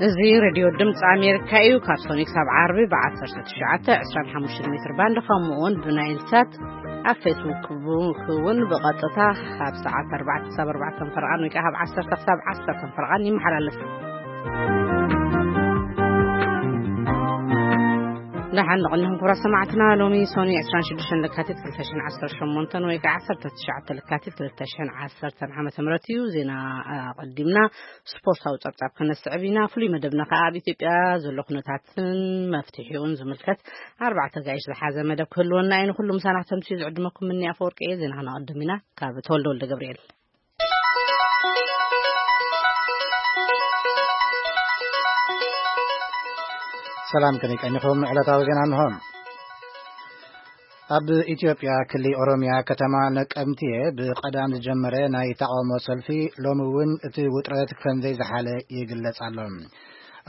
እዚ ሬድዮ ድምፂ ኣሜሪካ እዩ። ካብ ሶኒክ ሳብ ዓርቢ ብ19 25 ሜትር ባንድ፣ ከምኡ እውን ብናይል ሳት ኣብ ፌስቡክ እውን ብቐጥታ ካብ ሰዓት ኣርባዕተ ክሳብ ኣርባዕተ ፈርቓን ወይ ከዓ ካብ ዓሰርተ ክሳብ ዓሰርተ ፈርቓን ይመሓላለፍ። ደሓን ንቕንኹም ክቡራት ሰማዕትና። ሎሚ ሶኒ ዕስራን ሽዱሽተን ለካቲት ክልተ ሽሕን ዓሰርተ ሸሞንተን ወይ ከዓ ዓሰርተ ትሽዓተ ለካቲት ክልተ ሽሕን ዓሰርተን ዓመተ ምህረት እዩ። ዜና ኣቐዲምና ስፖርታዊ ጸብጻብ ክነስዕብ ኢና። ፍሉይ መደብና ከኣ ኣብ ኢትዮጵያ ዘሎ ኩነታትን መፍትሒኡን ዝምልከት ኣርባዕተ ጋይሽ ዝሓዘ መደብ ክህልወና እዩ። ንኹሉ ምሳና ክተምስዩ ዝዕድመኩም ምኒ ኣፈወርቂ እየ። ዜና ክነቐድም ኢና። ካብ ተወልደ ወልደ ገብርኤል። ሰላም ከመይ ቀኒኹም? ዕለታዊ ዜና እንሆ። ኣብ ኢትዮጵያ ክልል ኦሮሚያ ከተማ ነቀምትየ ብቐዳም ዝጀመረ ናይ ተቓውሞ ሰልፊ ሎሚ እውን እቲ ውጥረት ከም ዘይዝሓለ ይግለጽ ኣሎ።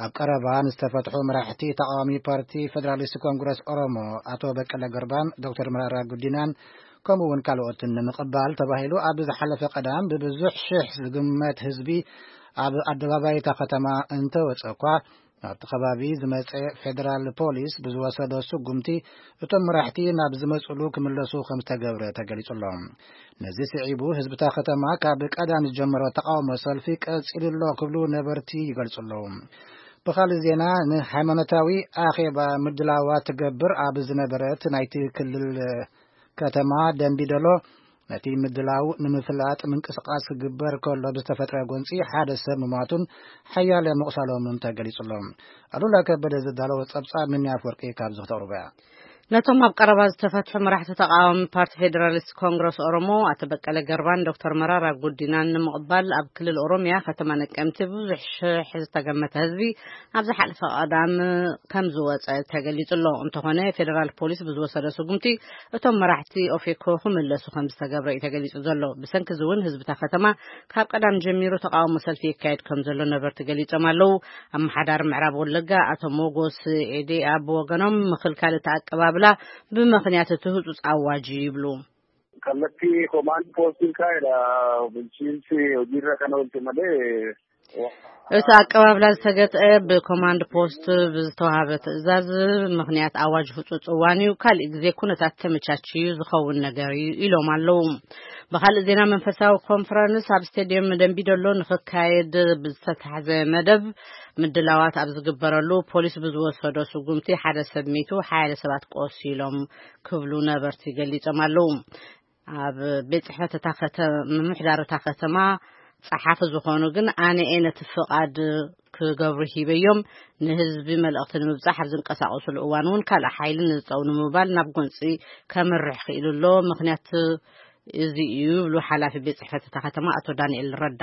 ኣብ ቀረባ ንዝተፈትሑ መራሕቲ ተቓዋሚ ፓርቲ ፌደራሊስት ኮንግረስ ኦሮሞ ኣቶ በቀለ ገርባን ዶክተር መራራ ጉዲናን ከምኡ እውን ካልኦትን ንምቕባል ተባሂሉ ኣብ ዝሓለፈ ቀዳም ብብዙሕ ሽሕ ዝግመት ህዝቢ ኣብ ኣደባባይ እታ ከተማ እንተወጸ እኳ፣ ናብቲ ከባቢ ዝመጸ ፌደራል ፖሊስ ብዝወሰዶ ስጉምቲ እቶም መራሕቲ ናብ ዝመጽሉ ክምለሱ ከም ዝተገብረ ተገሊጹ ኣሎ። ነዚ ስዒቡ ህዝብታ ከተማ ካብ ቀዳም ዝጀመሮ ተቃውሞ ሰልፊ ቀጺሉ ኣሎ ክብሉ ነበርቲ ይገልጹ ኣለዉ። ብኻልእ ዜና፣ ንሃይማኖታዊ ኣኼባ ምድላዋ ትገብር ኣብ ዝነበረት ናይቲ ክልል ከተማ ደንቢ ዶሎ፣ ነቲ ምድላው ንምፍላጥ ምንቅስቃስ ክግበር ከሎ ብዝተፈጥረ ጎንጺ ሓደ ሰብ ምሟቱን ሓያለ ምቑሳሎምን ተገሊጹ ኣሎ። ኣሉላ ከበደ ዘዳለዎ ጸብጻብ ምንያ ኣፍወርቂ ካብዚ ክተቕርቦ እያ። ነቶም ኣብ ቀረባ ዝተፈትሑ መራሕቲ ተቃዋሚ ፓርቲ ፌዴራሊስት ኮንግረስ ኦሮሞ ኣቶ በቀለ ገርባን ዶክተር መራራ ጉዲናን ንምቕባል ኣብ ክልል ኦሮሚያ ከተማ ነቀምቲ ብዙሕ ሽሕ ዝተገመተ ህዝቢ ኣብ ዝሓለፈ ቀዳም ከም ዝወጸ ተገሊጹ ኣሎ። እንተኾነ ፌዴራል ፖሊስ ብዝወሰደ ስጉምቲ እቶም መራሕቲ ኦፌኮ ክምለሱ ከም ዝተገብረ እዩ ተገሊጹ ዘሎ። ብሰንኪ እዚ እውን ህዝብታ ከተማ ካብ ቀዳም ጀሚሩ ተቃውሞ ሰልፊ የካየድ ከም ዘሎ ነበርቲ ገሊጾም ኣለዉ። ኣመሓዳሪ ምዕራብ ወለጋ ኣቶ ሞጎስ ኤዴኣ ብወገኖም ምኽልካል እቲ ኣቀባብላ ብምኽንያት እቲ ህጹጽ ኣዋጅ እዩ ይብሉ። Kallattii komaand poostiin kaa'edha. Bulchiinsi hojiirra kana oolche malee እቲ ኣቀባብላ ዝተገጠ ብኮማንድ ፖስት ብዝተዋሃበ ትእዛዝ ምኽንያት ኣዋጅ ህጹጽ እዋን እዩ። ካልእ ግዜ ኩነታት ተመቻችዩ ዝኸውን ነገር እዩ ኢሎም ኣለዉ። ብኻልእ ዜና፣ መንፈሳዊ ኮንፈረንስ ኣብ ስቴድየም ደንቢዶሎ ንኽካየድ ብዝተታሕዘ መደብ ምድላዋት ኣብ ዝግበረሉ ፖሊስ ብዝወሰዶ ስጉምቲ ሓደ ሰብ ሚቱ፣ ሓያለ ሰባት ቆሲሎም ክብሉ ነበርቲ ገሊጾም ኣለዉ። ኣብ ቤት ጽሕፈት እታ ከተ-፣ ምምሕዳር እታ ከተማ ጸሓፊ ዝኾኑ ግን ኣነ እየ ነቲ ፍቓድ ክገብሩ ሂበዮም። ንህዝቢ መልእኽቲ ንምብጻሕ ኣብ ዝንቀሳቐሱሉ እዋን እውን ካልእ ሓይሊ ንዝጸው ንምባል ናብ ጎንጺ ከምርሕ ክኢሉ ኣሎ። ምኽንያት እዚ እዩ ይብሉ ሓላፊ ቤት ጽሕፈት እታ ከተማ ኣቶ ዳንኤል ረዳ።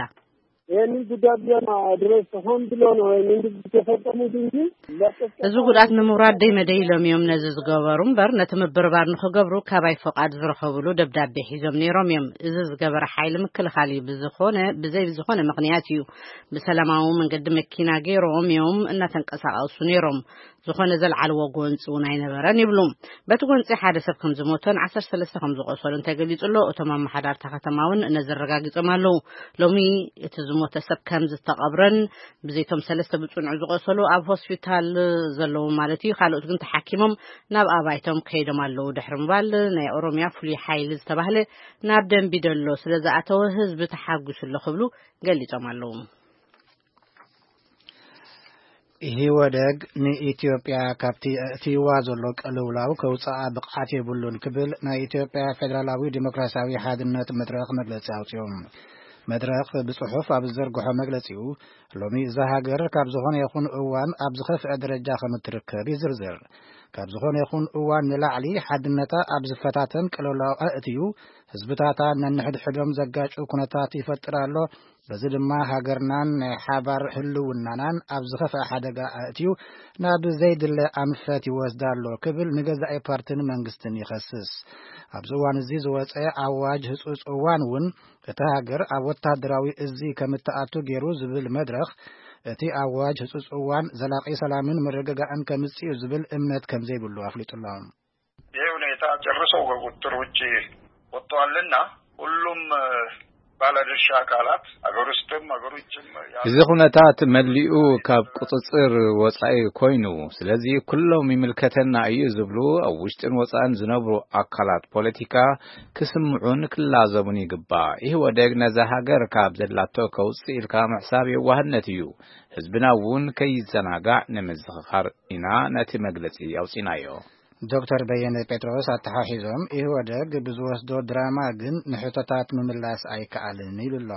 ይህንን ጉዳት ለማድረስ ሆን ብሎ ነው ይህንን ድርጊት የፈጸሙት እንጂ ለጥፍ እዚ ጉድኣት ንምውራድ ደይ መደይ ኢሎም እዮም ነዚ ዝገበሩ እምበር፣ ነቲ ምብርባር ንኽገብሩ ካባይ ፍቓድ ዝረኸብሉ ደብዳቤ ሒዞም ነይሮም እዮም። እዚ ዝገበረ ሓይሊ ምክልኻል እዩ። ብዝኾነ፣ ብዘይ ዝኾነ ምኽንያት እዩ ብሰላማዊ መንገዲ መኪና ገይሮም እዮም እናተንቀሳቐሱ ነይሮም። ዝኾነ ዘልዓልዎ ጎንፂ እውን ኣይነበረን ይብሉ። በቲ ጎንፂ ሓደ ሰብ ከም ዝሞተን ዓሰርተ ሰለስተ ከም ዝቆሰሉን ተገሊጹ ኣሎ። እቶም ኣመሓዳርታ ከተማ እውን ነዚ ኣረጋጊጾም ኣለዉ። ሎሚ እቲ ዝሞተ ሰብ ከም ዝተቐብረን ብዘይቶም ሰለስተ ብጽኑዕ ዝቆሰሉ ኣብ ሆስፒታል ዘለዉ ማለት እዩ፣ ካልኦት ግን ተሓኪሞም ናብ ኣባይቶም ከይዶም ኣለዉ ድሕሪ ምባል፣ ናይ ኦሮሚያ ፍሉይ ሓይሊ ዝተባህለ ናብ ደንቢ ደሎ ስለ ዝኣተወ ህዝቢ ተሓጒሱ ኣሎ ክብሉ ገሊጾም ኣለዉ። ኢህወደግ ንኢትዮጵያ ካብቲ ኣእትይዋ ዘሎ ቅልውላው ከውፅኣ ብቕዓት የብሉን ክብል ናይ ኢትዮጵያ ፌደራላዊ ዲሞክራሲያዊ ሓድነት መድረኽ መግለፂ ኣውፅኡ። መድረኽ ብፅሑፍ ኣብ ዝዘርግሖ መግለፂኡ፣ ሎሚ እዛ ሃገር ካብ ዝኾነ ይኹን እዋን ኣብ ዝኸፍአ ደረጃ ከም እትርከብ ይዝርዝር። ካብ ዝኾነ ይኹን እዋን ንላዕሊ ሓድነታ ኣብ ዝፈታተን ቅልውላው ኣእትዩ ህዝብታታ ነንሕድሕዶም ዘጋጩ ኩነታት ይፈጥር ኣሎ። በዚ ድማ ሃገርናን ናይ ሓባር ህልውናናን ኣብ ዝኸፍአ ሓደጋ ኣእትዩ ናብ ዘይድለ ኣንፈት ይወስዳ ኣሎ ክብል ንገዛኢ ፓርትን መንግስትን ይኸስስ። ኣብዚ እዋን እዚ ዝወፀ ኣዋጅ ህፁፅ እዋን እውን እታ ሃገር ኣብ ወታደራዊ እዚ ከም እትኣቱ ገይሩ ዝብል መድረኽ፣ እቲ ኣዋጅ ህፁፅ እዋን ዘላቒ ሰላምን ምርግጋእን ከምፅእ እዩ ዝብል እምነት ከም ዘይብሉ ኣፍሊጡ ኣሎ። ይህ ሁኔታ ጨርሶ ከቁጥጥር ውጭ ወጥቷልና ሁሉም ባለድርሻ አካላት አገር ውስጥም አገር ውጭም ያሉ እዚ ኩነታት መሊኡ ካብ ቁጽጽር ወጻኢ ኮይኑ፣ ስለዚ ኩሎም ይምልከተና እዩ ዝብሉ ኣብ ውሽጥን ወጻእን ዝነብሩ ኣካላት ፖለቲካ ክስምዑን ክላዘቡን ይግባእ። ኢህወደግ ነዛ ሃገር ካብ ዘላቶ ከውጽእ ኢልካ ምሕሳብ የዋህነት እዩ። ህዝብና እውን ከይዘናጋዕ ንምዝኽኻር ኢና ነቲ መግለጺ ኣውጺናዮ። ዶክተር በየነ ጴጥሮስ ኣተሓሒዞም፣ ኢህወደግ ብዝወስዶ ድራማ ግን ንሕቶታት ምምላስ ኣይከኣልን ኢሉ ኣሎ።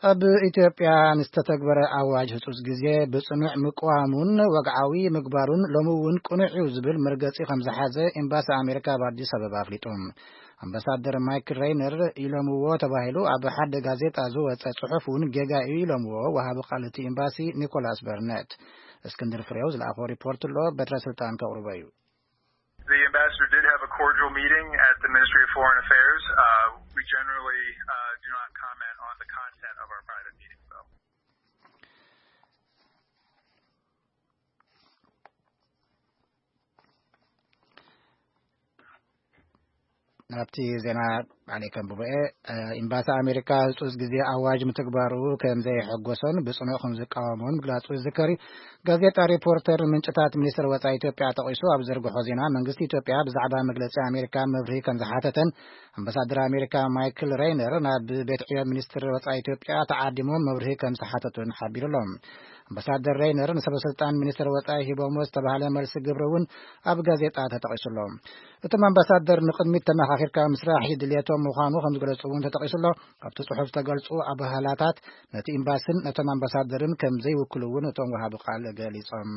ኣብ ኢትዮጵያ ንዝተተግበረ ኣዋጅ ህጹጽ ግዜ ብጽኑዕ ምቅዋሙን ወግዓዊ ምግባሩን ሎሚ እውን ቅኑዕ እዩ ዝብል መርገጺ ከም ዝሓዘ ኤምባሲ ኣሜሪካ ኣብ ኣዲስ ኣበባ ኣፍሊጡ። ኣምባሳደር ማይክል ሬይነር ኢሎምዎ ተባሂሉ ኣብ ሓደ ጋዜጣ ዝወጸ ጽሑፍ እውን ጌጋ እዩ ኢሎምዎ ወሃቢ ቃል እቲ ኤምባሲ ኒኮላስ በርነት። እስክንድር ፍሬው ዝለኣኾ ሪፖርት ኣሎ፣ በትረ ስልጣን ከቕርቦ እዩ። The ambassador did have a cordial meeting at the Ministry of Foreign Affairs. Uh, we generally uh, do not comment on the content of our private meetings, though. ናብቲ ዜና ባዕለይ ከንብቦ እየ። ኤምባሲ ኣሜሪካ ህጹጽ ግዜ ኣዋጅ ምትግባሩ ከም ዘይሐጎሶን ብጽኑዕ ከም ዝቃወሞን ምግላጹ ዝዝከር እዩ። ጋዜጣ ሪፖርተር ምንጭታት ሚኒስትር ወጻኢ ኢትዮጵያ ጠቒሱ ኣብ ዘርግሖ ዜና፣ መንግስቲ ኢትዮጵያ ብዛዕባ መግለጺ ኣሜሪካ መብርሂ ከም ዝሓተተን ኣምባሳደር ኣሜሪካ ማይክል ሬይነር ናብ ቤት ዕዮ ሚኒስትር ወጻኢ ኢትዮጵያ ተዓዲሞም መብርሂ ከም ዝሓተቱን ሓቢሩ ኣሎ። ኣምባሳደር ሬይነር ንሰበ ስልጣን ሚኒስትር ወጻኢ ሂቦሞ ዝተባህለ መልሲ ግብሪ እውን ኣብ ጋዜጣ ተጠቒሱ ኣሎ። እቶም ኣምባሳደር ንቕድሚት ተመኻኺርካ ምስራሕ ድልየቶም ምዃኑ ከም ዝገለጹ እውን ተጠቒሱ ኣሎ። ካብቲ ጽሑፍ ዝተገልጹ ኣባህላታት ነቲ ኤምባስን ነቶም ኣምባሳደርን ከም ዘይውክሉ እውን እቶም ወሃቢ ቃል ገሊጾም።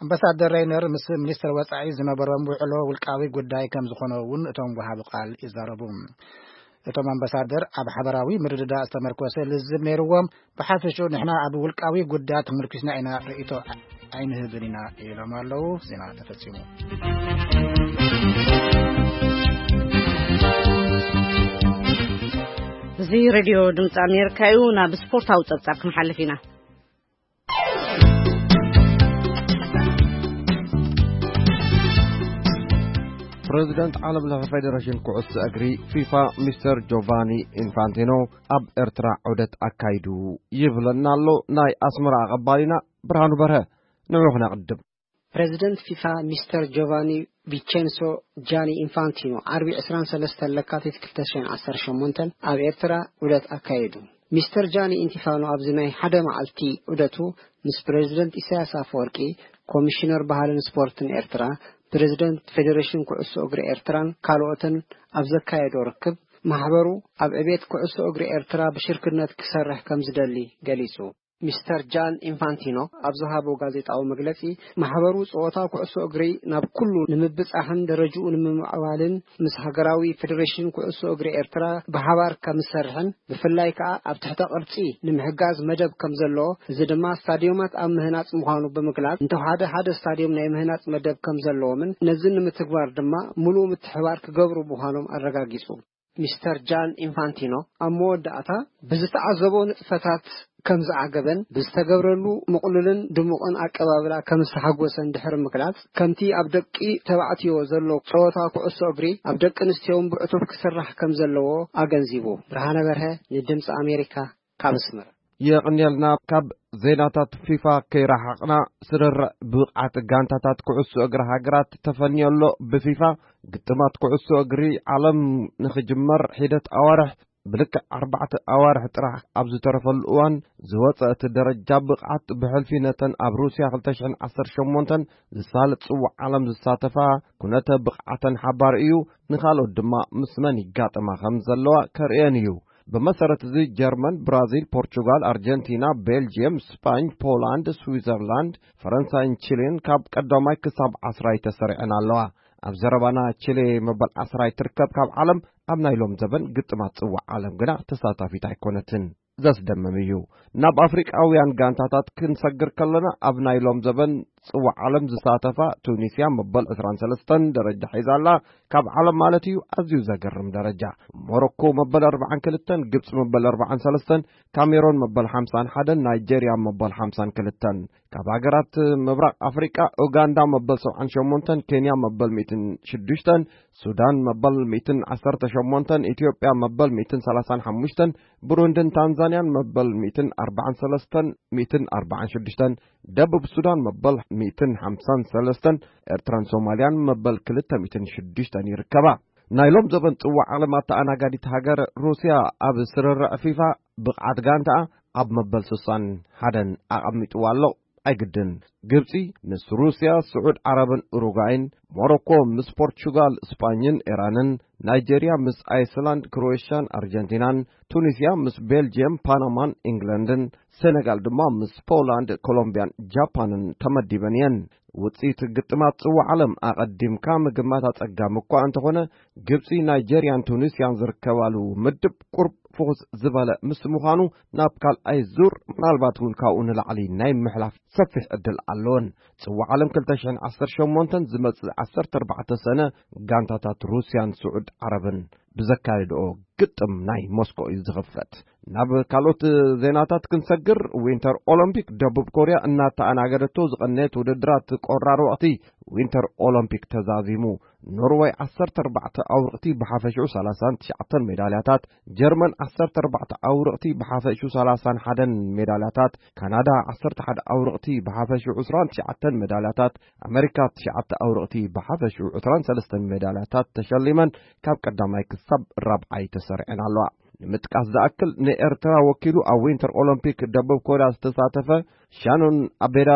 ኣምባሳደር ሬይነር ምስ ሚኒስትር ወጻኢ ዝነበሮም ውዕሎ ውልቃዊ ጉዳይ ከም ዝኾነ እውን እቶም ወሃቢ ቃል ይዛረቡ። እቶም ኣምባሳደር ኣብ ሓበራዊ ምርድዳእ ዝተመርኮሰ ልዝብ ነይርዎም። ብሓፈሽኡ ንሕና ኣብ ውልቃዊ ጉዳያት ተመርኪስና ኢና ርእይቶ ኣይንህብን ኢና ኢሎም ኣለዉ። ዜና ተፈጺሙ። እዚ ሬድዮ ድምፂ ኣሜሪካ እዩ። ናብ ስፖርታዊ ፀብፃብ ክንሓልፍ ኢና። ፕረዚደንት ዓለም ለኸ ፌደሬሽን ኩዕሶ እግሪ ፊፋ ሚስተር ጆቫኒ ኢንፋንቲኖ ኣብ ኤርትራ ዑደት ኣካይዱ ይብለና ኣሎ ናይ ኣስመራ ኣቐባሊና ብርሃኑ በርሀ። ንዑ ክነቕድም። ፕረዚደንት ፊፋ ሚስተር ጆቫኒ ቪቸንሶ ጃኒ ኢንፋንቲኖ ዓርቢ ዕስራን ሰለስተን ለካቲት ክልተ ሽሕን ዓሰርተ ሸሞንተን ኣብ ኤርትራ ዑደት ኣካየዱ። ሚስተር ጃኒ ኢንቲፋኖ ኣብዚ ናይ ሓደ መዓልቲ ዑደቱ ምስ ፕረዚደንት ኢሳያስ ኣፈወርቂ፣ ኮሚሽነር ባህልን ስፖርትን ኤርትራ፣ ፕረዚደንት ፌደሬሽን ኩዕሶ እግሪ ኤርትራን ካልኦትን ኣብ ዘካየዶ ርክብ፣ ማሕበሩ ኣብ ዕቤት ኩዕሶ እግሪ ኤርትራ ብሽርክነት ክሰርሕ ከም ዝደሊ ገሊጹ። ሚስተር ጃን ኢንፋንቲኖ ኣብ ዝሃቦ ጋዜጣዊ መግለጺ፣ ማሕበሩ ጸወታ ኩዕሶ እግሪ ናብ ኩሉ ንምብጻሕን ደረጅኡ ንምምዕባልን ምስ ሃገራዊ ፌደሬሽን ኩዕሶ እግሪ ኤርትራ ብሓባር ከም ዝሰርሕን ብፍላይ ከኣ ኣብ ትሕተ ቅርጺ ንምሕጋዝ መደብ ከም ዘለዎ፣ እዚ ድማ ስታድዮማት ኣብ ምህናጽ ምዃኑ ብምግላጽ፣ እንተወሓደ ሓደ ስታድዮም ናይ ምህናጽ መደብ ከም ዘለዎምን ነዚ ንምትግባር ድማ ምሉእ ምትሕባር ክገብሩ ምዃኖም ኣረጋጊጹ። ሚስተር ጃን ኢንፋንቲኖ ኣብ መወዳእታ ብዝተዓዘቦ ንጥፈታት ከም ዝዓገበን ብዝተገብረሉ ምቕሉልን ድሙቕን ኣቀባብላ ከም ዝተሓጎሰን ድሕሪ ምግላጽ፣ ከምቲ ኣብ ደቂ ተባዕትዮ ዘሎ ጸወታ ኩዕሶ እግሪ ኣብ ደቂ ኣንስትዮውን ብዕቱብ ክስራሕ ከም ዘለዎ ኣገንዚቡ። ብርሃነ በርሀ ንድምጺ ኣሜሪካ ካብ ኣስመራ። የቕንየልና። ካብ ዜናታት ፊፋ ከይረሓቕና፣ ስርርዕ ብቕዓት ጋንታታት ኩዕሶ እግሪ ሃገራት ተፈንዮ ኣሎ። ብፊፋ ግጥማት ኩዕሶ እግሪ ዓለም ንኽጅመር ሒደት ኣዋርሕ፣ ብልክዕ ኣርባዕተ ኣዋርሕ ጥራሕ ኣብ ዝተረፈሉ እዋን ዝወጸ እቲ ደረጃ ብቕዓት፣ ብሕልፊ ነተን ኣብ ሩስያ ክልተ ሽሕን ዓሰርተ ሸሞንተን ዝሳለጥ ጽዋዕ ዓለም ዝሳተፋ ኩነተ ብቕዓተን ሓባሪ እዩ። ንኻልኦት ድማ ምስ መን ይጋጠማ ከም ዘለዋ ከርእየን እዩ። ብመሰረት እዚ፣ ጀርመን፣ ብራዚል፣ ፖርቹጋል፣ ኣርጀንቲና፣ ቤልጅየም፣ ስፓኝ፣ ፖላንድ፣ ስዊዘርላንድ፣ ፈረንሳይን ቺሊን ካብ ቀዳማይ ክሳብ ዓስራይ ተሰሪዐን ኣለዋ። ኣብ ዘረባና፣ ቺሊ መበል ዓስራይ ትርከብ፣ ካብ ዓለም ኣብ ናይ ሎም ዘበን ግጥማት ጽዋዕ ዓለም ግና ተሳታፊት ኣይኮነትን። ዘስደምም እዩ። ናብ ኣፍሪቃውያን ጋንታታት ክንሰግር ከለና፣ ኣብ ናይ ሎም ዘበን ጽዋዕ ዓለም ዝሳተፋ ቱኒስያ መበል ዕስራን ሰለስተን ደረጃ ሒዛ ኣላ። ካብ ዓለም ማለት እዩ፣ ኣዝዩ ዘገርም ደረጃ። ሞሮኮ መበል ኣርባዓን ክልተን፣ ግብጺ መበል ኣርባዓን ሰለስተን፣ ካሜሮን መበል ሓምሳን ሓደን፣ ናይጄርያ መበል ሓምሳን ክልተን። ካብ ሃገራት ምብራቕ ኣፍሪቃ፣ ኡጋንዳ መበል ሰብዓን ሸሞንተን፣ ኬንያ መበል ሚእትን ሽዱሽተን፣ ሱዳን መበል ሚእትን ዓሰርተ ሸሞንተን፣ ኢትዮጵያ መበል ሚእትን ሰላሳን ሓሙሽተን፣ ብሩንድን ታንዛንያን መበል ሚእትን ኣርባዓን ሰለስተን፣ ሚእትን ኣርባዓን ሽዱሽተን፣ ደቡብ ሱዳን መበል ሚእትን ሓምሳን ሰለስተን፣ ኤርትራን ሶማልያን መበል ክልተ ሚእትን ሽዱሽተን ይርከባ። ናይ ሎም ዘበን ጽዋዕ ዓለም ኣተኣናጋዲት ሃገር ሩስያ ኣብ ስርርዕ ፊፋ ብቕዓት ጋንታኣ ኣብ መበል ስሳን ሓደን ኣቐሚጥዋ ኣሎ። ኣይግድን። ግብጺ ምስ ሩስያ፣ ስዑድ ዓረብን ኡሩጓይን፣ ሞሮኮ ምስ ፖርቹጋል፣ ስጳኝን ኢራንን፣ ናይጄርያ ምስ ኣይስላንድ፣ ክሮኤሽያን ኣርጀንቲናን፣ ቱኒስያ ምስ ቤልጅየም፣ ፓናማን ኢንግለንድን፣ ሴኔጋል ድማ ምስ ፖላንድ፣ ኮሎምቢያን ጃፓንን ተመዲበን እየን። ውጽኢት ግጥማት ጽዋዕ ዓለም ኣቐዲምካ ምግማት ኣጸጋሚ እኳ እንተኾነ፣ ግብጺ፣ ናይጄርያን ቱኒስያን ዝርከባሉ ምድብ ቁርብ ፍኹስ ዝበለ ምስ ምዃኑ፣ ናብ ካልኣይ ዙር፣ ምናልባት እውን ካብኡ ንላዕሊ ናይ ምሕላፍ ሰፊሕ ዕድል ኣለወን። ጽዋዕ ዓለም ክልተ ሽሕን ዓሰርተ ሸሞንተን ዝመጽእ ዓሰርተ ኣርባዕተ ሰነ፣ ጋንታታት ሩስያን ስዑድ ዓረብን ብዘካየድኦ ግጥም ናይ ሞስኮ እዩ ዝኽፈት። ናብ ካልኦት ዜናታት ክንሰግር፣ ዊንተር ኦሎምፒክ ደቡብ ኮርያ እናተኣናገደቶ ዝቐነየት ውድድራት ቆራር ወቕቲ ዊንተር ኦሎምፒክ ተዛዚሙ። ኖርወይ ዓሰርተ ኣርባዕተ ኣውርቕቲ ብሓፈሽኡ ሰላሳን ትሽዓተን ሜዳልያታት፣ ጀርመን ዓሰርተ ኣርባዕተ ኣውርቕቲ ብሓፈሽኡ ሰላሳን ሓደን ሜዳልያታት፣ ካናዳ ዓሰርተ ሓደ ኣውርቕቲ ብሓፈሽኡ ዕስራን ትሽዓተን ሜዳልያታት፣ ኣመሪካ ትሽዓተ ኣውርቕቲ ብሓፈሽኡ ዕስራን ሰለስተን ሜዳልያታት ተሸሊመን ካብ ቀዳማይ ክሳብ ራብዓይ ተሰሪዐን ኣለዋ። ንምጥቃስ ዝኣክል፣ ንኤርትራ ወኪሉ ኣብ ዊንተር ኦሎምፒክ ደቡብ ኮርያ ዝተሳተፈ ሻኖን ኣቤዳ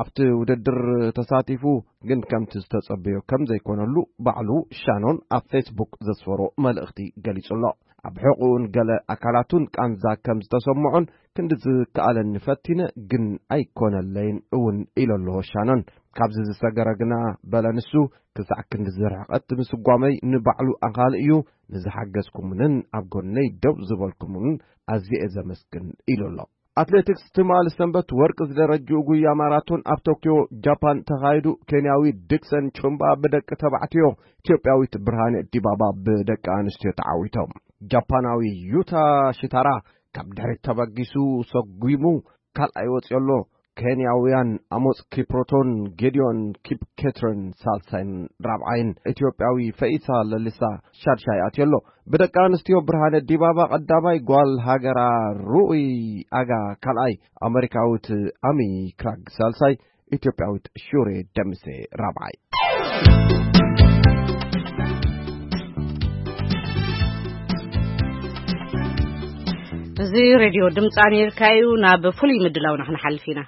ኣብቲ ውድድር ተሳቲፉ፣ ግን ከምቲ ዝተጸበዮ ከም ዘይኮነሉ ባዕሉ ሻኖን ኣብ ፌስቡክ ዘስፈሮ መልእኽቲ ገሊጹ ኣሎ። ኣብ ሕቑኡን ገለ ኣካላቱን ቃንዛ ከም ዝተሰምዖን፣ ክንዲ ዝከኣለኒ ፈቲነ፣ ግን ኣይኮነለይን እውን ኢሉ ኣሎ ሻኖን። ካብዚ ዝሰገረ ግና፣ በለ ንሱ፣ ክሳዕ ክንዲ ዝርሕቐት ምስጓመይ ንባዕሉ ኣኻሊ እዩ። ንዝሓገዝኩምንን ኣብ ጎነይ ደው ዝበልኩምንን ኣዝየ እየ ዘመስግን ኢሉ ኣሎ። ኣትሌቲክስ፣ ትማሊ ሰንበት ወርቂ ዝደረጅኡ ጉያ ማራቶን ኣብ ቶክዮ ጃፓን ተኻይዱ። ኬንያዊ ዲክሰን ቹምባ ብደቂ ተባዕትዮ፣ ኢትዮጵያዊት ብርሃነ ዲባባ ብደቂ ኣንስትዮ ተዓዊቶም። ጃፓናዊ ዩታ ሽታራ ካብ ድሕሪት ተበጊሱ ሰጒሙ ካልኣይ ወፂኡ ኣሎ። ኬንያውያን ኣሞፅ ኪፕሮቶን ጌዲዮን ኪፕኬትረን ሳልሳይን ራብዓይን፣ ኢትዮጵያዊ ፈኢሳ ለሊሳ ሻድሻይ ኣትዮ ኣሎ። ብደቂ ኣንስትዮ ብርሃነ ዲባባ ቀዳማይ፣ ጓል ሃገራ ሩኡይ ኣጋ ካልኣይ፣ ኣመሪካዊት ኣሚ ክራግ ሳልሳይ፣ ኢትዮጵያዊት ሹሬ ደምሴ ራብዓይ። እዚ ሬድዮ ድምፂ ኣሜሪካ እዩ። ናብ ፍሉይ ምድላውና ክንሓልፍ ኢና።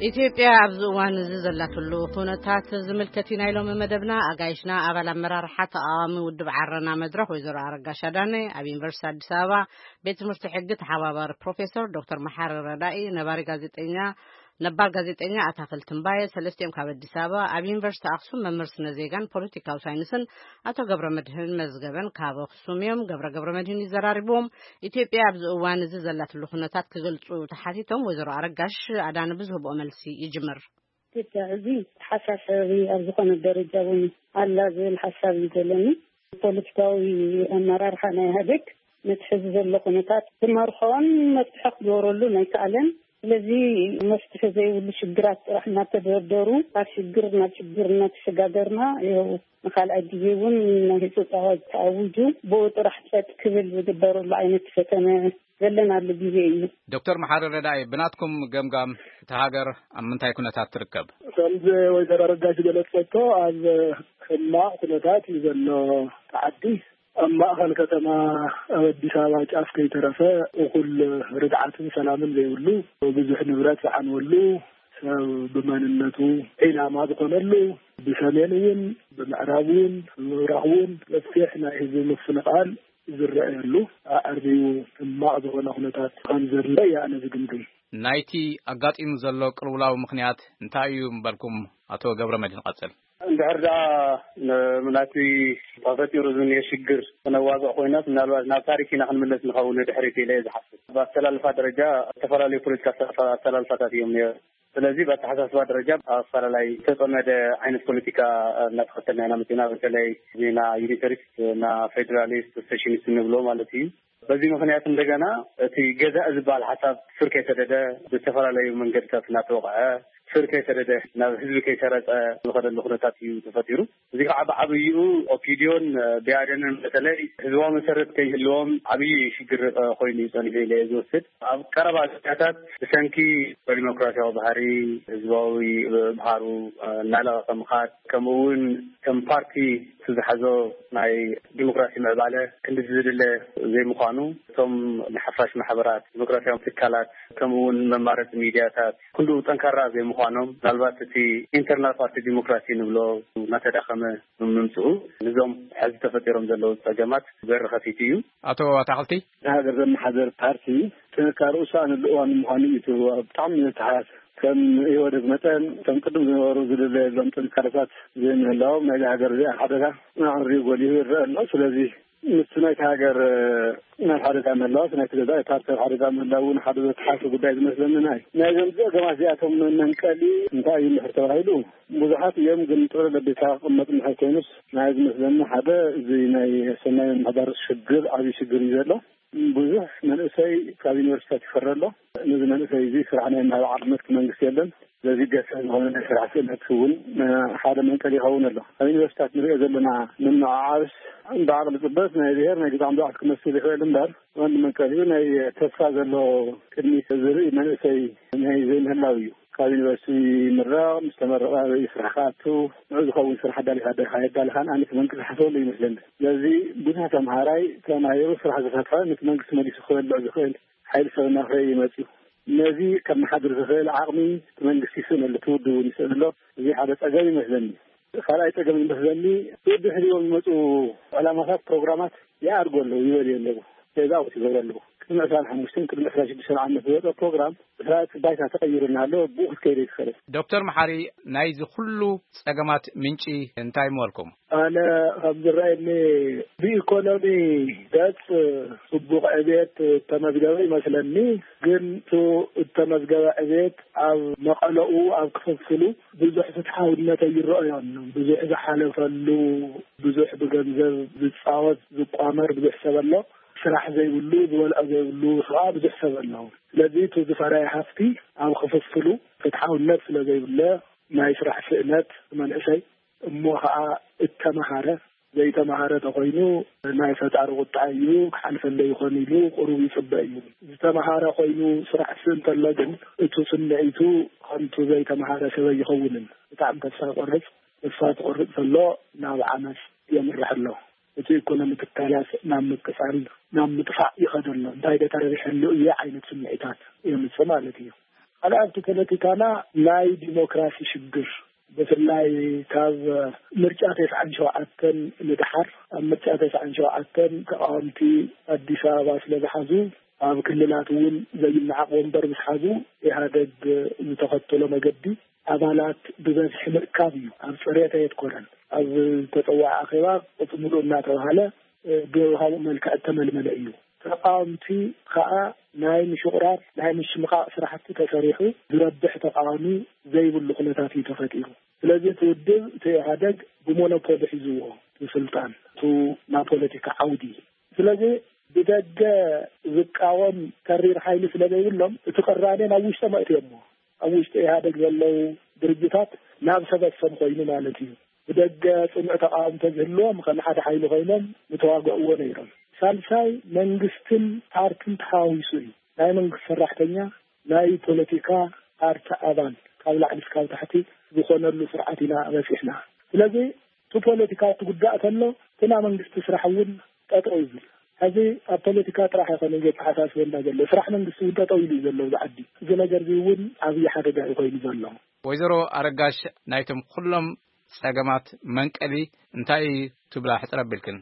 ኢትዮጵያ ኣብዚ እዋን እዚ ዘላትሉ ኩነታት ዝምልከት እዩ ናይ ሎሚ መደብና። ኣጋይሽና ኣባል ኣመራርሓ ተቃዋሚ ውድብ ዓረና መድረኽ ወይዘሮ ኣረጋሽ ኣዳነ፣ ኣብ ዩኒቨርሲቲ ኣዲስ ኣበባ ቤት ትምህርቲ ሕጊ ተሓባባሪ ፕሮፌሰር ዶክተር መሓሪ ረዳኢ፣ ነባሪ ጋዜጠኛ ነባር ጋዜጠኛ ኣታኽልቲ እምባየ፣ ሰለስቲኦም ካብ ኣዲስ ኣበባ፣ ኣብ ዩኒቨርሲቲ ኣኽሱም መምህር ስነ ዜጋን ፖለቲካዊ ሳይንስን ኣቶ ገብረ መድህን መዝገበን ካብ ኣኽሱም እዮም። ገብረ ገብረ መድህን ይዘራርብዎም። ኢትዮጵያ ኣብዚ እዋን እዚ ዘላትሉ ኩነታት ክገልጹ ተሓቲቶም፣ ወይዘሮ ኣረጋሽ ኣዳነ ብዝህብኦ መልሲ ይጅምር። ኢትዮጵያ እዚ ተሓሳሰቢ ኣብ ዝኾነ ደረጃ እውን ኣላ ዝብል ሓሳብ እዩ ዘለኒ። ፖለቲካዊ ኣመራርሓ ናይ ኢህኣዴግ ነቲ ሕዚ ዘሎ ኩነታት ክመርሖን መፍትሒ ክገብረሉን ኣይከኣለን። ስለዚ መፍትሒ ዘይብሉ ሽግራት ጥራሕ እናተደርደሩ፣ ካብ ሽግር ናብ ሽግር እናተሸጋገርና፣ ይኸው ንኻልኣይ ግዜ እውን ናይ ህጹጽ ኣዋጅ ተኣዊጁ፣ ብኡ ጥራሕ ጸጥ ክብል ዝግበረሉ ዓይነት ፈተነ ዘለናሉ ግዜ እዩ። ዶክተር መሓሪ ረዳኢ፣ ብናትኩም ገምጋም እታ ሃገር ኣብ ምንታይ ኩነታት ትርከብ? ከምዚ ወይዘሮ ኣረጋሽ ገለጸቶ፣ ኣብ ሕማቕ ኩነታት እዩ ዘሎ። እቲ ዓዲ ኣብ ማእኸል ከተማ ኣብ ኣዲስ ኣበባ ጫፍ ከይተረፈ እኹል ርግዓትን ሰላምን ዘይብሉ፣ ብዙሕ ንብረት ዝዓንወሉ፣ ሰብ ብመንነቱ ዒላማ ዝኾነሉ፣ ብሰሜን እውን፣ ብምዕራብ እውን፣ ብምብራቕ እውን ሰፊሕ ናይ ህዝቢ ምፍንቓል ዝረኣየሉ፣ ኣዕርዩ ሕማቕ ዝኾነ ኩነታት ከም ዘሎ እየ ኣነ ዝግምግም። ናይቲ ኣጋጢሙ ዘሎ ቅልውላው ምኽንያት እንታይ እዩ ምበልኩም? ኣቶ ገብረ መድህን ቀጽል። ድሕር ደኣ ናቲ ተፈጢሩ ዝኒሀ ሽግር ክነዋግዕ ኮይናስ፣ ምናልባት ናብ ታሪክ ኢና ክንምለስ ንኸውን ድሕሪት ኢለ እየ ዝሓስብ። ብኣሰላልፋ ደረጃ ዝተፈላለዩ ፖለቲካ ኣሰላልፋታት እዮም ነይሩ። ስለዚ ብኣተሓሳስባ ደረጃ ኣፈላላይ ዝተጸመደ ዓይነት ፖለቲካ እናተኸተልና ኢና መጺና። በተለይ ዜና ዩኒተሪስት እና ፌዴራሊስት ሴሽኒስት ንብሎ ማለት እዩ። በዚ ምክንያት እንደገና እቲ ገዛእ ዝበሃል ሓሳብ ስር ከይሰደደ፣ ብዝተፈላለዩ መንገድታት እናተወቕዐ፣ ስር ከይሰደደ፣ ናብ ህዝቢ ከይሰረጸ ዝኸደሉ ኩነታት እዩ ተፈጢሩ። እዚ ከዓ ብዓብይኡ ኦፒዲዮን ብኣዴንን በተለይ ህዝባዊ መሰረት ከይህልዎም ዓብዪ ሽግር ኮይኑ እዩ ጸኒሑ ኢለ እየ ዝወስድ። ኣብ ቀረባ ግዜያታት ብሰንኪ ዲሞክራሲያዊ ባህሪ፣ ህዝባዊ ባህሩ እናለቐቐ ምኻድ፣ ከምኡ እውን ከም ፓርቲ ዝሓዞ ናይ ዲሞክራሲ ምዕባለ ክንዲ ዝድለ ዘይምዃኑ፣ እቶም ንሓፋሽ ማሕበራት፣ ዲሞክራሲያዊ ትካላት፣ ከምኡ እውን መማረፂ ሚድያታት ክንድኡ ጠንካራ ዘይምዃኖም፣ ምናልባት እቲ ኢንተርናል ፓርቲ ዲሞክራሲ ንብሎ እናተዳኸመ ምምፅኡ፣ ንዞም ሕዚ ተፈጢሮም ዘለዉ ፀገማት በሪ ከፊቱ እዩ። ኣቶ ኣታኽልቲ፣ ንሃገር ዘመሓደር ፓርቲ ጥንካረኡ ሳእኒ ልእዋን ምዃኑ እዩ። እቲ ብጣዕሚ ዝተሓስ ከም ኢህወደግ መጠን፣ ከም ቅድም ዝነበሩ ዝድለየሎም ጥንካረታት ዘይምህላዎም ናይዚ ሃገር እዚኣ ሓደጋ ኣዕርዩ ጎሊሁ ይረአ ኣሎ። ስለዚ ምስቲ ናይቲ ሃገር ናብ ሓደጋ ምህላው፣ እቲ ናይቲ ገዛኢ ፓርቲ ኣብ ሓደጋ ምህላው እውን ሓደ ዘተሓሰ ጉዳይ ዝመስለኒ ናይ ናይዞም ጸገማት እዚኣቶም መንቀሊ እንታይ እዩ እንድሕር ተባሂሉ፣ ብዙሓት እዮም፣ ግን ጥቕልል ኣቢልካ ክቕመጥ እንድሕር ኮይኑስ ናይ ዝመስለኒ ሓደ እዚ ናይ ሰናይ ምምሕዳር ሽግር ዓብዪ ሽግር እዩ ዘሎ። ብዙሕ መንእሰይ ካብ ዩኒቨርሲቲታት ይፈሪ ኣሎ። ነዚ መንእሰይ እዚ ስራሕ ናይ ምሃብ ዓቕሚ እቲ መንግስቲ የለን። ስለዚ ገሰ ዝኾነ ናይ ስራሕ ክእለት እውን ሓደ መንቀሊ ይኸውን ኣሎ። ኣብ ዩኒቨርሲቲታት ንሪኦ ዘለና ምምዕዓብስ ብዓቕሊ ጽበት ናይ ብሄር ናይ ግዛዕ ምብዓት ክመስል ይኽእል እምበር፣ ቀንዲ መንቀሊኡ ናይ ተስፋ ዘሎ ቅድሚት ዝርኢ መንእሰይ ናይ ዘይምህላው እዩ። ካብ ዩኒቨርሲቲ ይምረቕ፣ ምስ ተመረቐ ኣበይ ስራሕ ክኣቱ፣ ንዑ ዝኸውን ስራሕ ኣዳሊኻ ዶ የዳልኻን ኣነ እቲ መንግስቲ ዝሓስበሉ ይመስለኒ። ስለዚ ብዙሕ ተምሃራይ ተማሂሩ ስራሕ ዝፈትሐ ነቲ መንግስቲ መሊሱ ክበልዕ ዝኽእል ሓይሊ ሰብ እናፍረየ ይመጽእ እዩ። ነዚ ከመሓድር ዝኽእል ዓቕሚ እቲ መንግስቲ ይስእን ኣሎ፣ እቲ ውድብ እውን ይስእን ኣሎ። እዚ ሓደ ጸገም ይመስለኒ። ካልኣይ ጸገም ይመስለኒ፣ ብድሕሪኦም ዝመጹ ዕላማታት፣ ፕሮግራማት ይኣርጎ ኣለዉ፣ ይበልዮ ኣለዉ፣ ፌዝ ኣውት ይገብሩ ኣለዉ። ቅድሚ ዕስራን ሓሙሽተን ቅድሚ ዕስራን ሽዱሽተን ዓመት ዝወጸ ፕሮግራም፣ ድሕሪ ባይታ ተቐይሩና ኣሎ፣ ብኡ ክትከይደ ይትኽእል። ዶክተር መሓሪ፣ ናይዚ ኩሉ ጸገማት ምንጪ እንታይ ምበልኩም? ኣነ ከም ዝረኣየኒ፣ ብኢኮኖሚ ገጽ ጽቡቕ ዕብየት እተመዝገበ ይመስለኒ። ግን እቲ እተመዝገበ ዕብየት ኣብ መቐለኡ፣ ኣብ ክፍፍሉ ብዙሕ ፍትሓውነት ኣይረኣዮን። ብዙሕ ዝሓለፈሉ፣ ብዙሕ ብገንዘብ ዝጻወት ዝቋመር ብዙሕ ሰብ ኣሎ። ስራሕ ዘይብሉ፣ ዝበልዖ ዘይብሉ ከዓ ብዙሕ ሰብ ኣሎ። ስለዚ እቲ ዝፈረየ ሃፍቲ ኣብ ክፍፍሉ ፍትሓውነት ስለ ዘይብለ፣ ናይ ስራሕ ስእነት መንእሰይ እሞ ከዓ እተመሃረ፣ ዘይተመሃረ ተኮይኑ ናይ ፈጣሪ ቁጣ እዩ፣ ክሓልፈለይ ይኾን ኢሉ ቁሩብ ይጽበ እዩ። ዝተመሃረ ኮይኑ ስራሕ ስእ እንተሎ ግን፣ እቱ ስምዒቱ ከምቱ ዘይተመሃረ ሰብ ኣይኸውንን። ብጣዕሚ ተስፋ ይቆርጽ። ተስፋ ትቆርጽ ዘሎ ናብ ዓመጽ የምርሕ ኣሎ። እቲ ኢኮኖሚ ትካላት ናብ ምቅጻል፣ ናብ ምጥፋእ ይኸዶ ኣሎ። እንታይ ዶ ተረቢሐሉ እየ ዓይነት ስምዒታት የምጽእ ማለት እዩ። ካልኣይ ኣብቲ ፖለቲካና ናይ ዲሞክራሲ ሽግር፣ ብፍላይ ካብ ምርጫ ተስዓን ሸውዓተን ንደሓር፣ ኣብ ምርጫ ተስዓን ሸውዓተን ተቃወምቲ ኣዲስ ኣበባ ስለ ዝሓዙ፣ ኣብ ክልላት እውን ዘይነዓቕ ወንበር ምስ ሓዙ፣ ኢህኣደግ ዝተኸተሎ መገዲ ኣባላት ብበዝሒ ምእካብ እዩ። ኣብ ጽሬት ኣየትኮረን። ኣብ ዝተጸውዐ ኣኼባ ቁጽሪ ምሉእ እናተባህለ ብውሃቡ መልክዕ እተመልመለ እዩ። ተቃወምቲ ከኣ ናይ ምሽቑራር፣ ናይ ምሽምቓቕ ስራሕቲ ተሰሪሑ፣ ዝረብሕ ተቃዋሚ ዘይብሉ ኩነታት እዩ ተፈጢሩ። ስለዚ እቲ ውድብ፣ እቲ ኢህኣደግ ብሞኖፖሊ ሒዝዎ፣ እቲ ስልጣን፣ እቱ ናብ ፖለቲካ ዓውዲ። ስለዚ ብደገ ዝቃወም ተሪር ሓይሊ ስለ ዘይብሎም፣ እቲ ቅራኔ ናብ ውሽጦም ኣእትዮሞ። ኣብ ውሽጢ ኢህኣደግ ዘለዉ ድርጅታት ናብ ሰበሰም ኮይኑ ማለት እዩ። ብደገ ጽኑዕ ተቃውሞ ተዝህልዎም፣ ከም ሓደ ሓይሊ ኮይኖም ምተዋግእዎ ነይሮም። ሳልሳይ፣ መንግስትን ፓርትን ተሓዋዊሱ እዩ። ናይ መንግስቲ ሰራሕተኛ፣ ናይ ፖለቲካ ፓርቲ ኣባል፣ ካብ ላዕሊ እስካብ ታሕቲ ዝኾነሉ ስርዓት ኢና በጺሕና። ስለዚ እቲ ፖለቲካ ክጉዳእ ከሎ፣ እቲ ናይ መንግስቲ ስራሕ እውን ጠጠው ይብል። ሕዚ ኣብ ፖለቲካ ጥራሕ ኣይኮነን ዘተሓሳስበና ዘሎ፣ ስራሕ መንግስቲ እውን ጠጠው ኢሉ እዩ ዘሎ ኣብዚ ዓዲ። እዚ ነገር እዚ እውን ዓብዪ ሓደጋ እዩ ኮይኑ ዘሎ። ወይዘሮ ኣረጋሽ፣ ናይቶም ኩሎም ጸገማት መንቀሊ እንታይ እዩ ትብላ? ሕጽር ኣቢልክን።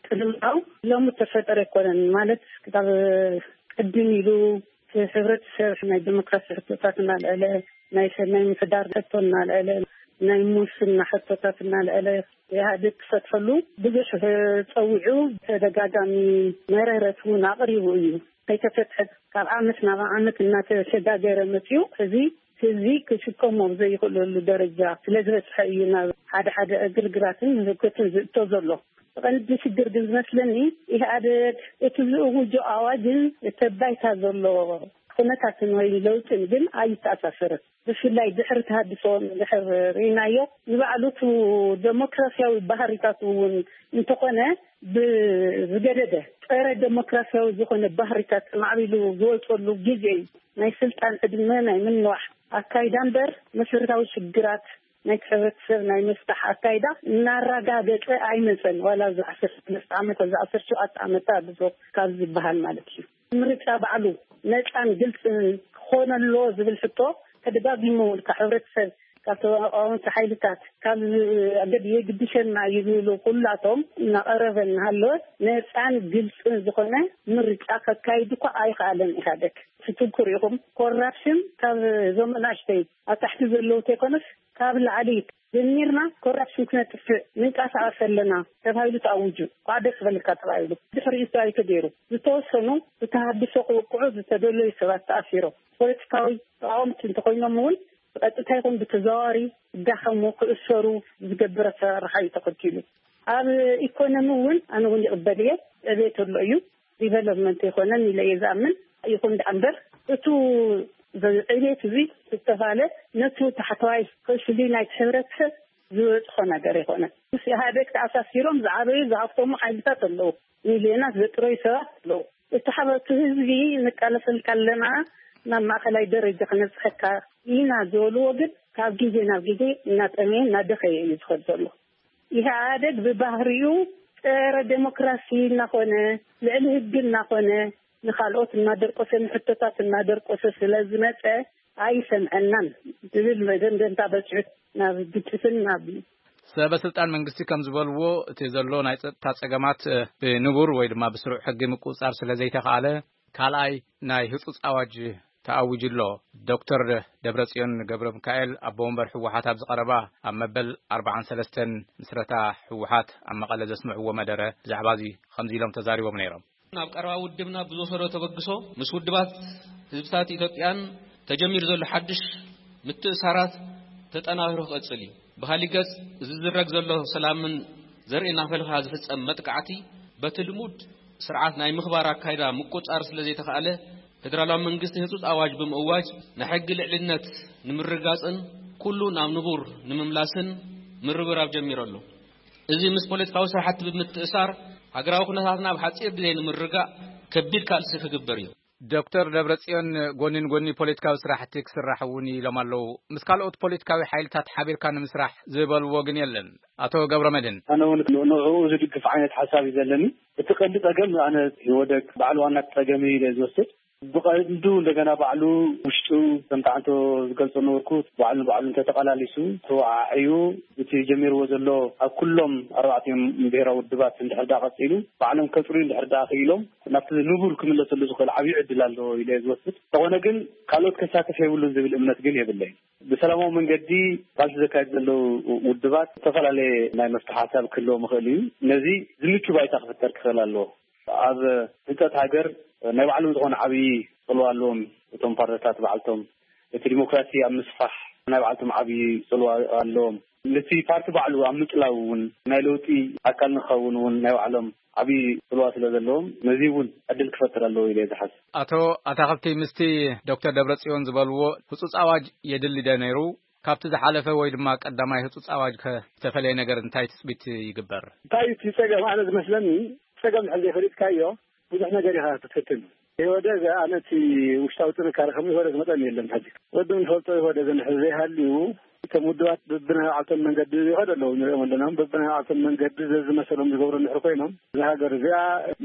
ቅድምታው ሎሚ እተፈጠረ ኣይኮነን፣ ማለት ክሳብ ቅድም ኢሉ እቲ ሕብረተሰብ ናይ ዲሞክራሲ ሕቶታት እናልዐለ፣ ናይ ሰናይ ምሕዳር ሕቶ እናልዐለ፣ ናይ ሙስና ሕቶታት እናልዐለ ኢህኣዴግ ክፈትሐሉ ብዙሕ ጸዊዑ፣ ተደጋጋሚ መረረት እውን ኣቕሪቡ እዩ። ከይተፈትሐ ካብ ዓመት ናብ ዓመት እናተሸጋገረ መፅዩ፣ እዚ ህዝቢ ክሽከሞ ዘይኽእለሉ ደረጃ ስለ ዝበፅሐ እዩ ናብ ሓደ ሓደ ግርግራትን ህውከትን ዝእቶ ዘሎ። ቀንዲ ሽግር ግን ዝመስለኒ፣ ኢህኣደግ እቲ ዝእውጆ ኣዋጅን እቲ ባይታ ዘሎ ኩነታትን ወይ ለውጥን ግን ኣይተኣሳሰርን። ብፍላይ ድሕሪ ተሃድሶ እንድሕር ርኢናዮ፣ ንባዕሉ እቲ ደሞክራሲያዊ ባህሪታት እውን እንተኾነ ብዝገደደ ጸረ ደሞክራሲያዊ ዝኾነ ባህሪታት ማዕቢሉ ዝወፀሉ ግዜ እዩ። ናይ ስልጣን ዕድመ ናይ ምንዋሕ ኣካይዳ እምበር መሰረታዊ ሽግራት ናይቲ ሕብረተሰብ ናይ ምፍታሕ ኣካይዳ እናረጋገጸ ኣይመጸን። ዋላ እዚ ዓሰርተ ሰለስተ ዓመት፣ ኣብዚ ዓሰርተ ሸውዓተ ዓመት ተሃድሶ ካብ ዝበሃል ማለት እዩ። ምርጫ ባዕሉ ነጻን ግልጽን ክኾን ኣለዎ ዝብል ሕቶ ተደጋጊሙ እውን ካብ ሕብረተሰብ፣ ካብ ተቃወምቲ ሓይልታት፣ ካብ ገድ የግድሸና እዩ ዝብሉ ኩላቶም እናቐረበ እናሃለወ ነጻን ግልጽን ዝኾነ ምርጫ ከካይድ እኳ ኣይኸኣለን ኢህኣደግ። እቲ ትኩር ኢኹም ኮራፕሽን ካብ እዞም ኣናእሽተይ ኣብ ታሕቲ ዘለዉ ተይኮነስ ካብ ላዕሊ ጀሚርና ኮራፕሽን ክነጥፍእ ንንቀሳቐስ ኣለና ተባሂሉ ተኣውጁ። ኳ ደስ በልካ ተባሂሉ ድሕሪኡ እንታይ ተገይሩ? ዝተወሰኑ ብተሃድሶ ክውቅዑ ዝተደለዩ ሰባት ተኣሲሮም። ፖለቲካዊ ተቃወምቲ እንተኮይኖም እውን ብቀጥታ ይኹን ብተዘዋዋሪ ክዳኸሙ ክእሰሩ ዝገብር ኣሰራርሓ እዩ ተኸቲሉ። ኣብ ኢኮኖሚ እውን ኣነ እውን ይቕበል እየ። ዕቤት ኣሎ እዩ፣ ዲቨሎፕመንት ኣይኮነን ኢለ እየ ዝኣምን። ይኹን ደኣ እምበር እቱ ዕቤት እዚ ዝተባለ ነቱ ታሕተዋይ ክፍሊ ናይቲ ሕብረተሰብ ዝበፅሖ ነገር ኣይኮነን። ምስ ኢህኣዴግ ተኣሳሲሮም ዝዓበዩ ዝሃብተሙ ሓይልታት ኣለዉ፣ ሚልዮናት ዘጥረዩ ሰባት ኣለዉ። እቲ ሓበቱ ህዝቢ ንቃለሰልካ ኣለና፣ ናብ ማእኸላይ ደረጃ ክነብፅሐካ ኢና ዝበልዎ ግን ካብ ግዜ ናብ ግዜ እናጠመየ እናደኸየ እዩ ዝኸድ ዘሎ። ኢህኣደግ ብባህሪኡ ጸረ ዴሞክራሲ እናኾነ፣ ልዕሊ ህጊ እናኾነ፣ ንኻልኦት እናደርቆሰ፣ ንሕቶታት እናደርቆሰ ስለ ዝመጸ ኣይሰምዐናን ዝብል መደምደምታ በጺሑ ናብ ግጭትን ናብ ሰበ ስልጣን መንግስቲ ከም ዝበልዎ፣ እቲ ዘሎ ናይ ጸጥታ ጸገማት ብንቡር ወይ ድማ ብስሩዕ ሕጊ ምቁጽጻር ስለ ዘይተኻእለ፣ ካልኣይ ናይ ህጹጽ ኣዋጅ ተኣዊጁ ኣሎ። ዶክተር ደብረጽዮን ገብረ ሚካኤል፣ ኣቦ ወንበር ህወሓት፣ ኣብዚ ቀረባ ኣብ መበል ኣርባዓን ሰለስተን ምስረታ ህወሓት ኣብ መቐለ ዘስምዕዎ መደረ ብዛዕባ እዚ ከምዚ ኢሎም ተዛሪቦም ነይሮም። ኣብ ቀረባ ውድብና ብዝወሰዶ ተበግሶ ምስ ውድባት ህዝብታት ኢትዮጵያን ተጀሚሩ ዘሎ ሓድሽ ምትእሳራት ተጠናኺሩ ክቐጽል እዩ። ብኻሊእ ገጽ፣ ዝዝረግ ዘሎ ሰላምን ዘርኢ እናፈልፋ ዝፍጸም መጥቃዕቲ በቲ ልሙድ ስርዓት ናይ ምኽባር ኣካይዳ ምቁጻር ስለ ዘይተኻእለ፣ ፌደራላዊ መንግስቲ ህጹጽ ኣዋጅ ብምእዋጅ ንሕጊ ልዕልነት ንምርጋጽን ኩሉ ናብ ንቡር ንምምላስን ምርብራብ ጀሚሩ ኣሎ። እዚ ምስ ፖለቲካዊ ስራሕቲ ብምትእሳር፣ ሃገራዊ ኩነታትና ኣብ ሓጺር ግዜ ንምርጋእ ከቢድ ቃልሲ ክግበር እዩ። ዶክተር ደብረጽዮን፣ ጎኒ ንጎኒ ፖለቲካዊ ስራሕቲ ክስራሕ እውን ኢሎም ኣለዉ። ምስ ካልኦት ፖለቲካዊ ሓይልታት ሓቢርካ ንምስራሕ ዝበልዎ ግን የለን። ኣቶ ገብረመድህን። ኣነ እውን ንዕኡ ዝድግፍ ዓይነት ሓሳብ እዩ ዘለኒ። እቲ ቀንዲ ጸገም ኣነ ኢህወደግ ባዕሉ ዋና ጸገም እዩ ኢለ ዝወስድ። ብቐንዱ እንደገና ባዕሉ ውሽጡ ከምቲ ዓንቶ ዝገልጾ ነበርኩ፣ ባዕሉ ንባዕሉ እንተተቐላሊሱ፣ ተወዓዕዩ፣ እቲ ጀሚርዎ ዘሎ ኣብ ኩሎም ኣርባዕቲኦም ብሄራዊ ውድባት እንድሕር ደኣ ቀጺሉ፣ ባዕሎም ከጽርዩ እንድሕር ደኣ ክኢሎም፣ ናብቲ ንቡር ክምለሰሉ ዝኽእል ዓብዪ ዕድል ኣሎ ኢለ እየ ዝወስድ። እንተኾነ ግን ካልኦት ከሳትፍ የብሉን ዝብል እምነት ግን የብለይን። ብሰላማዊ መንገዲ ቃልሲ ዘካየዱ ዘለዉ ውድባት ዝተፈላለየ ናይ መፍትሒ ሓሳብ ክህልዎም ይኽእል እዩ። ነዚ ዝምቹ ባይታ ክፍጠር ክኽእል ኣለዎ። ኣብ ህንጸት ሃገር ናይ ባዕሎም ዝኾነ ዓብዪ ጽልዋ ኣለዎም እቶም ፓርቲታት ባዕልቶም። እቲ ዲሞክራሲ ኣብ ምስፋሕ ናይ ባዕልቶም ዓብዪ ጽልዋ ኣለዎም። ነቲ ፓርቲ ባዕሉ ኣብ ምጽላው እውን ናይ ለውጢ ኣካል ንኸውን እውን ናይ ባዕሎም ዓብዪ ጽልዋ ስለ ዘለዎም ነዚ እውን ዕድል ክፈጥር ኣለዎ ኢለ እየ ዝሓስብ። ኣቶ ኣታኽልቲ፣ ምስቲ ዶክተር ደብረጽዮን ዝበልዎ ህጹጽ ኣዋጅ የድሊ ዶ ነይሩ? ካብቲ ዝሓለፈ ወይ ድማ ቀዳማይ ህጹጽ ኣዋጅ ከ ዝተፈለየ ነገር እንታይ ትጽቢት ይግበር? እንታይ እቲ ጸገም? ኣነ ዝመስለኒ ጸገም ድሕር ዘይፈሊጥካዮ ብዙሕ ነገር ኢኻ ክትፍትን። ኢህወደግ ኣነ እቲ ውሽጣዊ ጥንካሬ ከም ኢህወደግ መጠን የለን። ሕዚ ወዲ ንፈልጦ ኢህወደግ እንድሕር ዘይሃልዩ እቶም ውድባት በብናይ ባዕልቶም መንገዲ ይኸዱ ኣለዉ፣ ንሪኦም ኣለና። በብናይ ባዕልቶም መንገዲ ዘዝመሰሎም ዝገብሩ እንድሕር ኮይኖም፣ እዛ ሃገር እዚኣ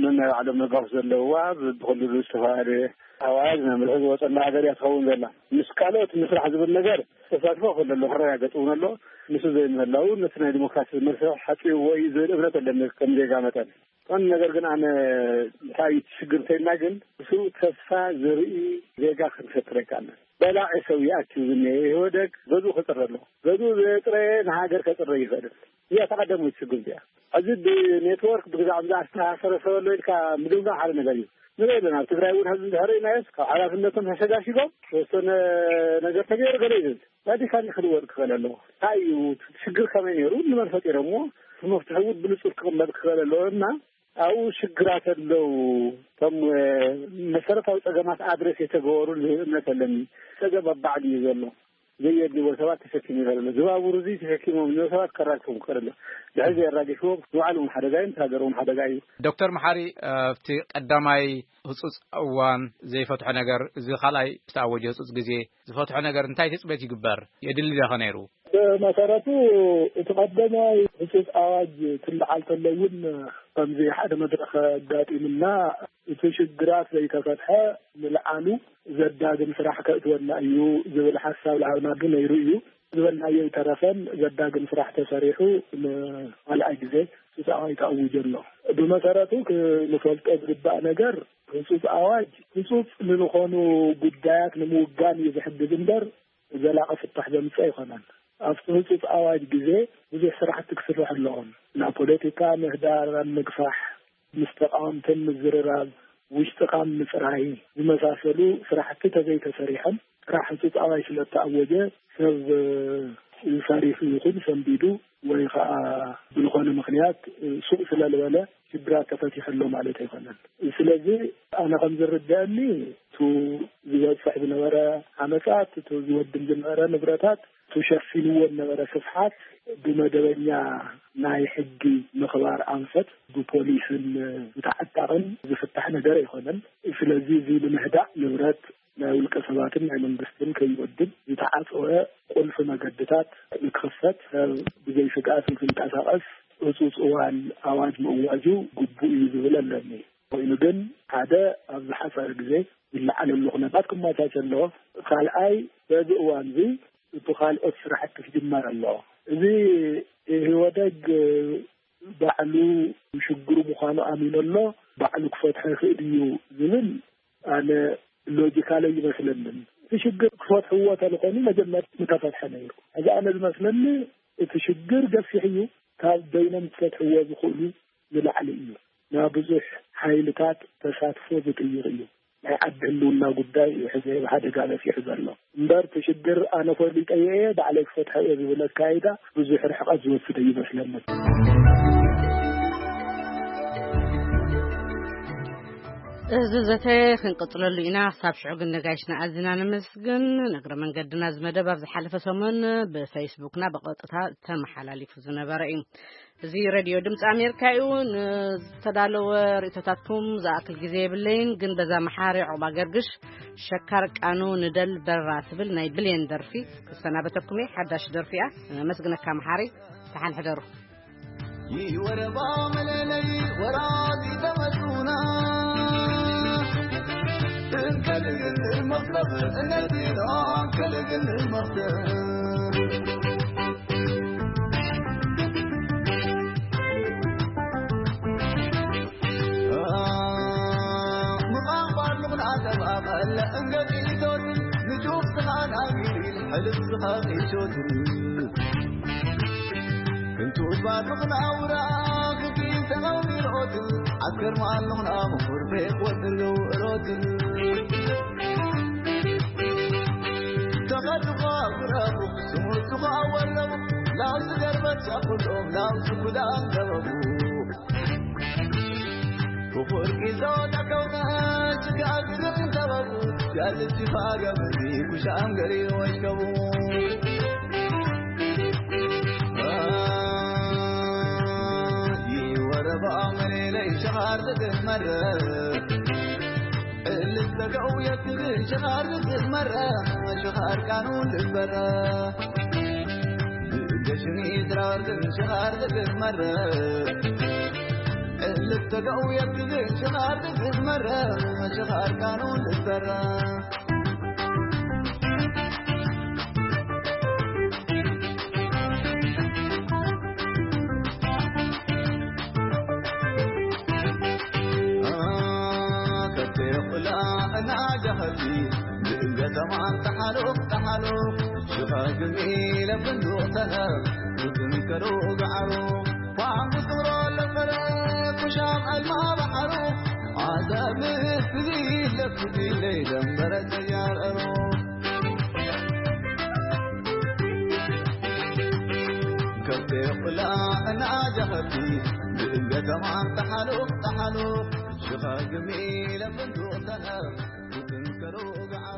ነናይ ባዕሎም መጋውስ ዘለውዋ፣ ብኩሉ ዝተፈላለየ ኣዋጅ መምርሒ ዝወፀላ ሃገር እያ ትኸውን ዘላ። ምስ ካልኦት ምስራሕ ዝብል ነገር ተሳትፎ ክህሉ ኣሎ፣ ክረጋገፅ እውን ኣሎ። ንሱ ዘይምህላው ነቲ ናይ ዲሞክራሲ መስርሕ ሓፂብዎ እዩ ዝብል እምነት ኣለኒ ከም ዜጋ መጠን። ቀንዲ ነገር ግን ኣነ እንታይ እዩ እቲ ሽግር እንተኢልና ግን ብስሩእ ተስፋ ዘርኢ ዜጋ ክንፈጥር ኣይከኣልናን። በላዒ ሰብ ይኣክብ ዝኒሀ። ኢህወደግ ገዝኡ ከፅረ ኣለዎ። ገዝኡ ዘፅረ ንሃገር ከፅረ ይኽእል። እዚኣ ተቐደሙ ችግር እዚኣ። እዚ ብኔትወርክ ብግዛዕ ብዛዕ ዝተኣሳሰረ ሰብ ኣሎ ኢልካ ምግምጋም ሓደ ነገር እዩ። ንርኢ ኣለና። ኣብ ትግራይ እውን ሕዚ እንድሕር ኢልናዮስ ካብ ሓላፍነቶም ተሸጋሽጎም ዝተወሰነ ነገር ተገይሩ ገለ ይብል። ራዲካሊ ክልወጥ ክኽእል ኣለዎ። እንታይ እዩ ሽግር ከመይ ነይሩ ንመን ፈጢሮምዎ? እቲ መፍትሒ እውን ብንጹር ክቕመጥ ክኽእል ኣለዎ እና ኣብኡ ሽግራት ኣለዉ። እቶም መሰረታዊ ጸገማት ኣድረስ የተገበሩ እምነት ኣለኒ። ጸገም ኣብ ባዕሉ እዩ ዘሎ። ዘየድልዎ ሰባት ተሸኪሙ ይኸለሎ ዝባቡር እዚ ተሸኪሞም እኒኦ ሰባት ከራግፎም ክኸለሎ ድሕዚ የራግፍዎም ንባዕሉ እውን ሓደጋ እዩ። ንሃገር እውን ሓደጋ እዩ። ዶክተር መሓሪ፣ ኣብቲ ቀዳማይ ህጹጽ እዋን ዘይፈትሖ ነገር፣ እዚ ካልኣይ ዝተኣወጀ ህጹጽ ግዜ ዝፈትሖ ነገር እንታይ ትጽበት ይግበር? የድሊ ዶ ኸ ነይሩ? ብመሰረቱ እቲ ቀዳማይ ህጹጽ ኣዋጅ ትልዓል ተሎ እውን ከምዚ ሓደ መድረኽ ኣጋጢምና፣ እቲ ሽግራት ዘይተፈትሐ ምልዓሉ ዘዳግም ስራሕ ከእትወና እዩ ዝብል ሓሳብ ለሃብናሉ ነይሩ እዩ። ዝበልናዮ ይተረፈን ዘዳግም ስራሕ ተሰሪሑ ንኻልኣይ ግዜ ህጹጽ ኣዋጅ ተኣዊጁ ኣሎ። ብመሰረቱ ክንፈልጦ ዝግባእ ነገር ህጹጽ ኣዋጅ ህጹጽ ንዝኾኑ ጉዳያት ንምውጋን እዩ ዝሕግዝ እምበር ዘላቒ ፍታሕ ዘምጽእ ኣይኮነን። ኣብቲ ህጹጽ ኣዋጅ ግዜ ብዙሕ ስራሕቲ ክስራሕ ኣለዎም። ናብ ፖለቲካ ምህዳር ኣብ ምግፋሕ፣ ምስ ተቃወምትን ምዝርራብ፣ ውሽጥኻ ምጽራይ ዝመሳሰሉ ስራሕቲ ተዘይተሰሪሖም ጥራሕ ህጹጽ ኣዋጅ ስለ እተኣወጀ ሰብ ፈሪሑ ይኹን ሰንቢዱ ወይ ከዓ ብዝኾነ ምኽንያት ሱቕ ስለ ዝበለ ሽግራት ተፈቲሑ ኣሎ ማለት ኣይኮነን። ስለዚ ኣነ ከም ዝርደአኒ እቱ ዝበጽሕ ዝነበረ ዓመጻት፣ እቱ ዝወድም ዝነበረ ንብረታት፣ እቱ ሸፊንዎ ዝነበረ ስፍሓት ብመደበኛ ናይ ሕጊ ምኽባር ኣንፈት ብፖሊስን ብተዓጣቕን ዝፍታሕ ነገር ኣይኮነን። ስለዚ እዚ ብምህዳእ ንብረት ናይ ውልቀ ሰባትን ናይ መንግስትን ከይወድም ዝተዓጸወ ቁልፊ መገድታት ንክኽፈት ሰብ ብዘይ ስግኣት ንክንቀሳቐስ ህጹጽ እዋን ኣዋጅ ምእዋጁ ግቡእ እዩ ዝብል ኣለኒ። ኮይኑ ግን ሓደ ኣብ ዝሓጸረ ግዜ ዝለዓለሉ ኩነታት ክመቻቸ ኣለዎ። ካልኣይ በዚ እዋን እዚ እቲ ካልኦት ስራሕቲ ክጅመር ኣለዎ። እዚ ኢህወደግ ባዕሉ ሽግሩ ምዃኑ ኣሚኑ ኣሎ፣ ባዕሉ ክፈትሖ ይኽእል እዩ ዝብል ኣነ ሎጂካል ኣይመስለንን። እቲ ሽግር ክፈትሕዎ ተልኾኑ መጀመርያ ምተፈትሐ ነይሩ። እዚ ኣነ ዝመስለኒ እቲ ሽግር ገፊሕ እዩ፣ ካብ በይኖም ክፈትሕዎ ዝኽእሉ ንላዕሊ እዩ። ናብ ብዙሕ ሓይልታት ተሳትፎ ዝጥይቕ እዩ። ናይ ዓዲ ህልውና ጉዳይ እዩ ሕዚ ኣብ ሓደጋ በፂሑ ዘሎ። እምበር እቲ ሽግር ኣነ ፈሊጠዮ እየ፣ ባዕለይ ክፈትሖ እየ ዝብል ኣካይዳ ብዙሕ ርሕቐት ዝወስድ ኣይመስለንን። እዚ ዘተ ክንቅጽለሉ ኢና። ክሳብ ሽዑ ግን ነጋይሽና ኣዝና ነመስግን። ንእግረ መንገድና እዚ መደብ ኣብ ዝሓለፈ ሰሙን ብፌስቡክና ብቐጥታ ተመሓላሊፉ ዝነበረ እዩ። እዚ ሬድዮ ድምፂ ኣሜሪካ እዩ። ንዝተዳለወ ርእቶታትኩም ዝኣክል ግዜ የብለይን፣ ግን በዛ መሓሪ ዑቕባ ገርግሽ ሸካር ቃኑ ንደል በራ ትብል ናይ ብሌን ደርፊ ክሰናበተኩም እየ። ሓዳሽ ደርፊ እያ። ነመስግነካ መሓሪ። ደሓን ሕደሩ። ይወረባ መለለይ ወራዚ ተመቱና እንከልግል መክለብ እነዲና እንከልግል መክለብ ምቓባር ምቕናዕ ተባቐለ እንገዲቶት ንጩፍ ዝኻን ኣጊሪል ሕልፍ ዝኻቂሾት ክንቱ ባርኽና ውራ ክኪን ተቐሚሮት ዓስከር ማሉኽና ምኹር ቤት ወድሉ ሮት ተኸድኻ ውረቡ ስሙቱኻ ወለቡ ላውዚ ገርበት ሻቁሎም ላውዚ ኩዳን ገበቡ ብኹር ጊዞ ተከውነ ስጋግር ገበቡ ያልቲ ፋገምዚ ኩሻም ገሪ ወሽከቡ ይወረባ መሌለይ ሸኻር ዝግመረ እልስተገው የትግል ሸኻር ዝግመረ ሸኻር ቃኑ ልበረ ገሽኒ ድራር ግን ሸኻር ዝግመረ እልስተገው የትግል ሸኻር ዝግመረ ሸኻር ቃኑ ልበረ ኣንታ ሓሉቕ ተሓሉቕ ሽቓግሚ ለፍንዱቕ ተነር ክትንከሩ ገዓሩ ፋንጉ ስምሮ ለፈረ ኩሻም ኣልማ ባሕሩ ዓሰብ ንፍዚ ለፍዚ ለይደንበረ ተያረሩ ከብቴ ቁላ እናጃኸቲ ብእንገተማ ተሓሉቕ ተሓሉቕ ሽቓግሚ ለፍንዱቕ ተነር ክትንከሩ ገዓሩ